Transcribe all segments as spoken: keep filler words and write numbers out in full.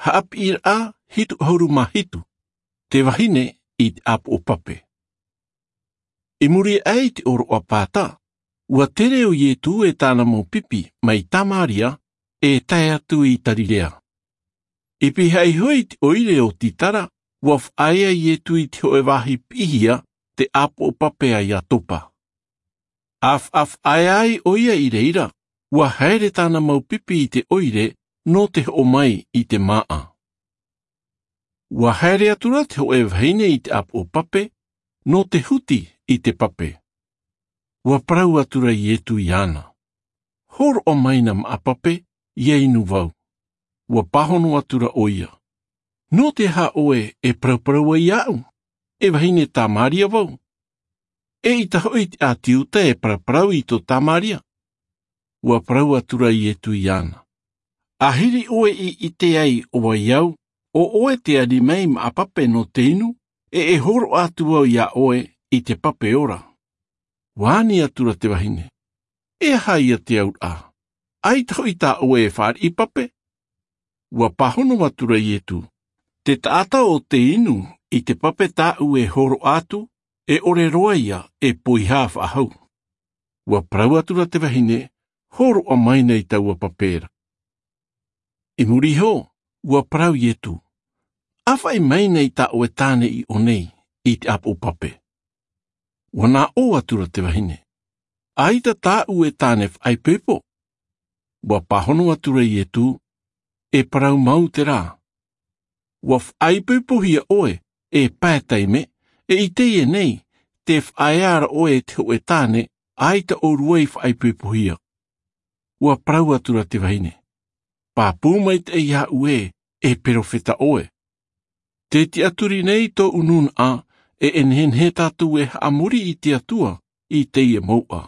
Haʻapiʻiraʻa hitu ʻahuru mā hitu. Te vahine i te ʻāpoʻo pape. I muri aʻe i te ʻōroʻa pāta, ua tere ʻo Ietu e tāna mau pipi mai Tamaria, e tae atu i Tarirea. I pīhaʻi iho i te ʻoire o Titara, ua faʻaea Ietu i te hōʻē vāhi piʻihia, te ʻāpoʻo pape a Iatopa. A faʻafaʻaea ai ʻo ia i reira, ua haere tāna mau pipi i te ʻoire nō te hoʻo mai i te māʻa. Ua haere atu ra te hōʻē vahine i te ʻāpoʻo pape nō te huti i te pape. Ua parau atu ra Ietu iāna, hōroʻa mai nā māʻa pape, ʻia inu vau. Ua pāhono atu ra ʻo ia, nō te aha ʻoe e parauparau ai iāʻu, e vahine Tamaria vau? Eʻita hoʻi te ʻāti Iuta e paraparau i tō Tamaria. Ua parau atu ra Ietu iāna, ʻahiri ʻoe i ʻite ai ʻo vai au, ʻo ʻoe te ani mai māʻa pape nō te inu, e e hōroʻa atu vau iā ʻoe i te pape ora. Ua ani atu ra te vahine, e aha ia te auraʻa? ʻAita hoʻi tā ʻoe e fāriʻi pape? Ua pāhono atu ra Ietu, te taʻata ʻo tē inu i te pape tāʻu e hōroʻa atu, e ʻore roa ia e poiha faʻahou. Ua parau atu ra te vahine, hōroʻa mai nei taua pape ra. I muri iho, ua parau Ietu, ʻāfaʻi mai nei tā ʻoe tāne i ʻō nei i te ʻāpoʻo pape. Ua nā ʻō atu ra te vahine, ʻaita tāʻu e tāne faʻaipoipo. Ua pāhono atu ra Ietu, e parau mau terā. Ua faʻaipoipohia ʻoe, e pae taime, e i teie nei, tē faʻaea ra ʻoe e te hōʻē tāne, ʻaita ʻōrua i faʻaipoipohia. Ua parau atu ra te vahine, pāpū maitaʻi iāʻu ē, e perofeta ʻoe. Tē tiʻaturi nei tōʻu nūnaʻa, e e nehenehe tātou e haʻamori i te Atua i teie mouʻa.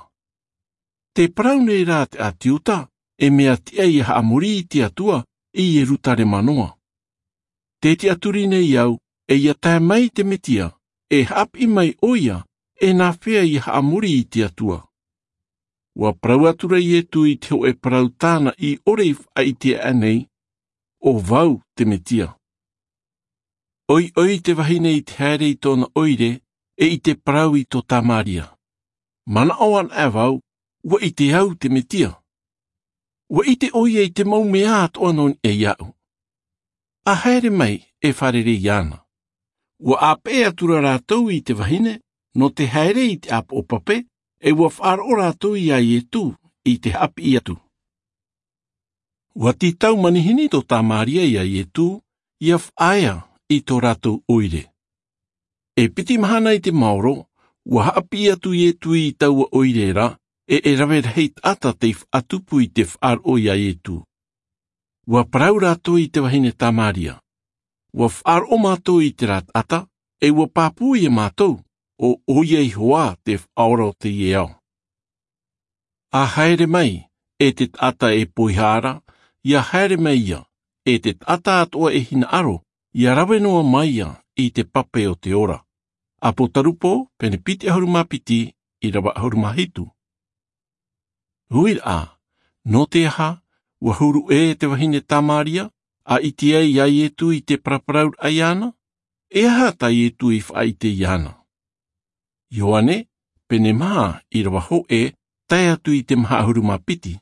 Tē parau nei rā te ʻāti Iuta, e mea tiʻa ʻia haʻamori i te Atua i Ierutarema noa. Tē tiʻaturi nei au, e ʻia tae mai te Metia, e haʻapiʻi mai ʻo ia, e nāfea ʻia haʻamori i te Atua. Ua parau atu ra Ietu i te hōʻē parau tāna i ʻore i faʻaʻite aʻe nei, ʻo vau te Metia. ʻOiʻoi te vahine i te haere i tōna ʻoire, e i te parau i tō Tamaria. Manaʻo ana vau, ua ʻite au te Metia. Ua ʻite ʻo ia i te mau mea atoʻa nō niʻa iāʻu. A haere mai, e fārerei iāna. Ua ʻāpeʻe atu ra rātou i te vahine, nō te haere i te ʻāpoʻo pape, e ua faʻaroʻo rātou iā Ietu, i te haʻapiʻi atu. Ua tītau manihini tō Tamaria iā Ietu, ʻia faʻaea i tō rātou ʻoire. E piti mahana i te maoro, ua haʻapiʻi atu Ietu i taua ʻoire ra, e e rave rahi taʻata tei faʻatupu i te faʻaroʻo iā Ietu. Ua parau rātou i te vahine Tamaria. Ua faʻaroʻo mātou i terā taʻata, e ua pāpū ia mātou, ʻo ʻo ia iho ā te faʻaora o teie ao. A haere mai, e te taʻata e poiha ra, ʻia haere mai ia, e te taʻata atoʻa e hinaʻaro, ʻia rave noa mai ia i te pape o te ora. ʻApotarupo, pene piti ʻahuru mā piti, ʻīrava ʻahuru mā hitu. Uiraʻa, nō te aha, ua huru ʻē te vahine Tamaria, a ʻite ai iā Ietu i te paraparauraʻa iāna? E aha tā Ietu i faʻaʻite iāna? Ioane, pene maha, ʻīrava hōʻē, tae atu i te maha ʻahuru mā piti.